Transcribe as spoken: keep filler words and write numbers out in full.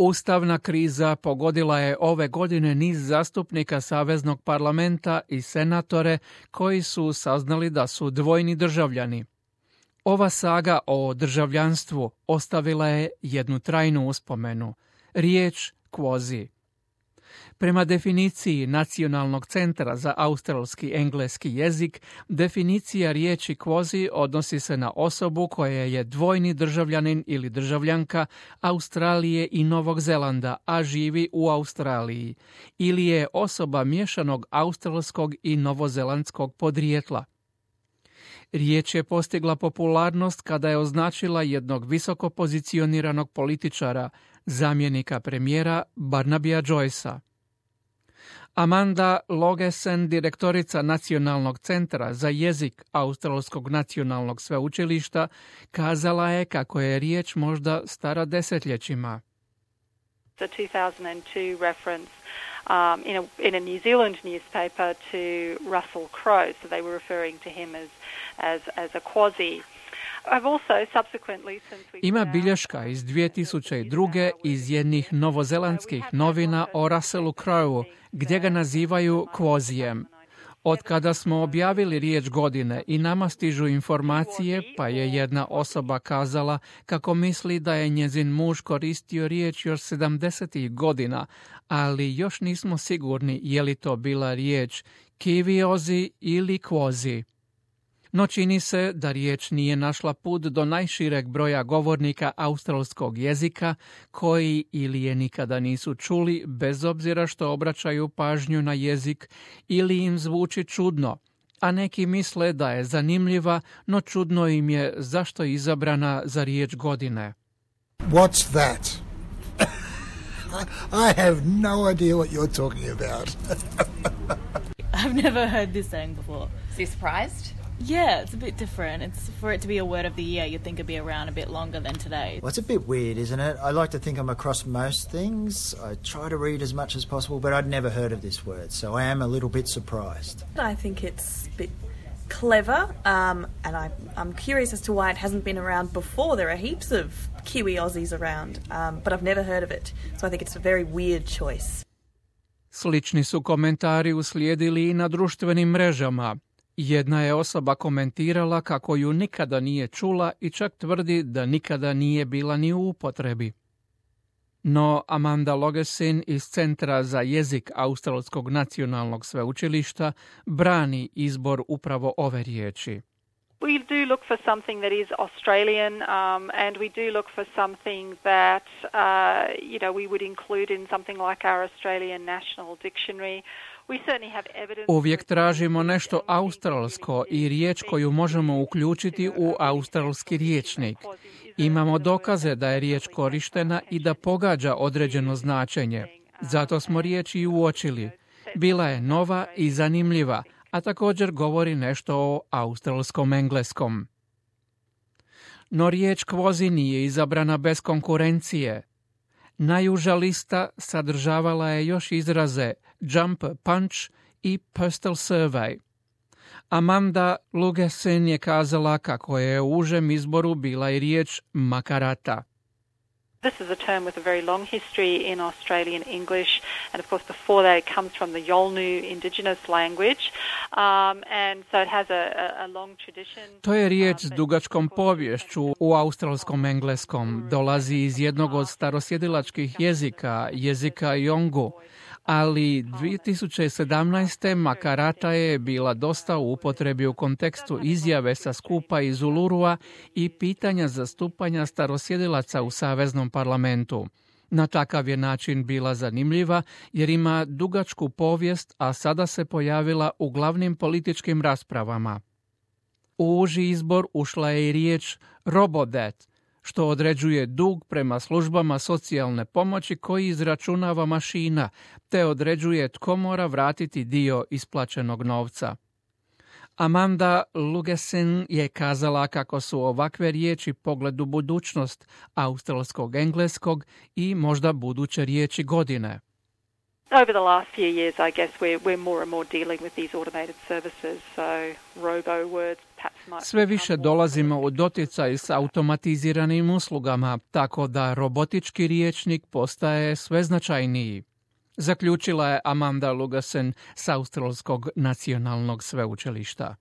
Ustavna kriza pogodila je ove godine niz zastupnika Saveznog parlamenta i senatore koji su saznali da su dvojni državljani. Ova saga o državljanstvu ostavila je jednu trajnu uspomenu, riječ quasi. Prema definiciji Nacionalnog centra za australski engleski jezik, definicija riječi quasi odnosi se na osobu koja je dvojni državljanin ili državljanka Australije i Novog Zelanda, a živi u Australiji, ili je osoba miješanog australskog i novozelandskog podrijetla. Riječ je postigla popularnost kada je označila jednog visoko pozicioniranog političara, zamjenika premijera Barnabya Joycea. Amanda Logesen, direktorica Nacionalnog centra za jezik Australskog nacionalnog sveučilišta, kazala je kako je riječ možda stara desetljećima. The two thousand two reference um, in, a, in a New Zealand newspaper to Russell Crowe, so they were referring to him as, as, as a quasi. Ima bilješka iz dvije tisuće druge iz jednih novozelandskih novina o Russellu Crowe, gdje ga nazivaju quasijem. Od kada smo objavili riječ godine i nama stižu informacije, pa je jedna osoba kazala kako misli da je njezin muž koristio riječ još sedamdesetih godina, ali još nismo sigurni je li to bila riječ kiviozi ili quasi. No čini se da riječ nije našla put do najšireg broja govornika australskog jezika koji ili je nikada nisu čuli bez obzira što obraćaju pažnju na jezik ili im zvuči čudno, a neki misle da je zanimljiva, no čudno im je zašto je izabrana za riječ godine. What's that? I have no idea what you're talking about. I've never heard this saying before. Is he surprised? Yeah, it's a bit different. It's for it to be a word of the year, you'd think it'd be around a bit longer than today. Well, it's a bit weird, isn't it? I like to think I'm across most things. I try to read as much as possible, but I'd never heard of this word, so I am a little bit surprised. I think it's a bit clever, um, and I, I'm curious as to why it hasn't been around before. There are heaps of Kiwi Aussies around, um, but I've never heard of it, so I think it's a very weird choice. Slični su komentari uslijedili i na društvenim mrežama. Jedna je osoba komentirala kako ju nikada nije čula i čak tvrdi da nikada nije bila ni u upotrebi. No Amanda Logesen iz Centra za jezik Australskog nacionalnog sveučilišta brani izbor upravo ove riječi. We do look for something that is Australian, um, and we do look for something that, uh, you know, we would include in something like our Australian National Dictionary. Uvijek tražimo nešto australsko i riječ koju možemo uključiti u australski riječnik. Imamo dokaze da je riječ korištena i da pogađa određeno značenje. Zato smo riječ i uočili. Bila je nova i zanimljiva, a također govori nešto o australskom engleskom. No riječ quasi nije izabrana bez konkurencije. Najuža lista sadržavala je još izraze jump punch i postal survey. Amanda Logesen je kazala kako je u užem izboru bila i riječ makarata. This is a term with a very long history in Australian English, and of course before that it comes from the Yolngu indigenous language, um, and so it has a, a long tradition. To je riječ s dugačkom poviješću u australskom engleskom. Dolazi iz jednog od starosjedilačkih jezika, jezika Yolngu, ali dvije tisuće sedamnaeste makarata je bila dosta u upotrebi u kontekstu izjave sa skupa iz Ulurua i pitanja zastupanja starosjedilaca u Saveznom parlamentu. Na takav je način bila zanimljiva jer ima dugačku povijest, a sada se pojavila u glavnim političkim raspravama. U uži izbor ušla je i riječ robodebt, što određuje dug prema službama socijalne pomoći koji izračunava mašina, te određuje tko mora vratiti dio isplaćenog novca. Amanda Logesen je kazala kako su ovakve riječi pogled u budućnost australskog engleskog i možda buduće riječi godine. Over the last few years, I guess we're, we're more and more dealing with these automated services, so robo words, perhaps might Sve become više more dolazimo u prolific. doticaj s automatiziranim uslugama, tako da robotički riječnik postaje sve značajniji. Zaključila je Amanda Lugasen s Australskog nacionalnog sveučilišta.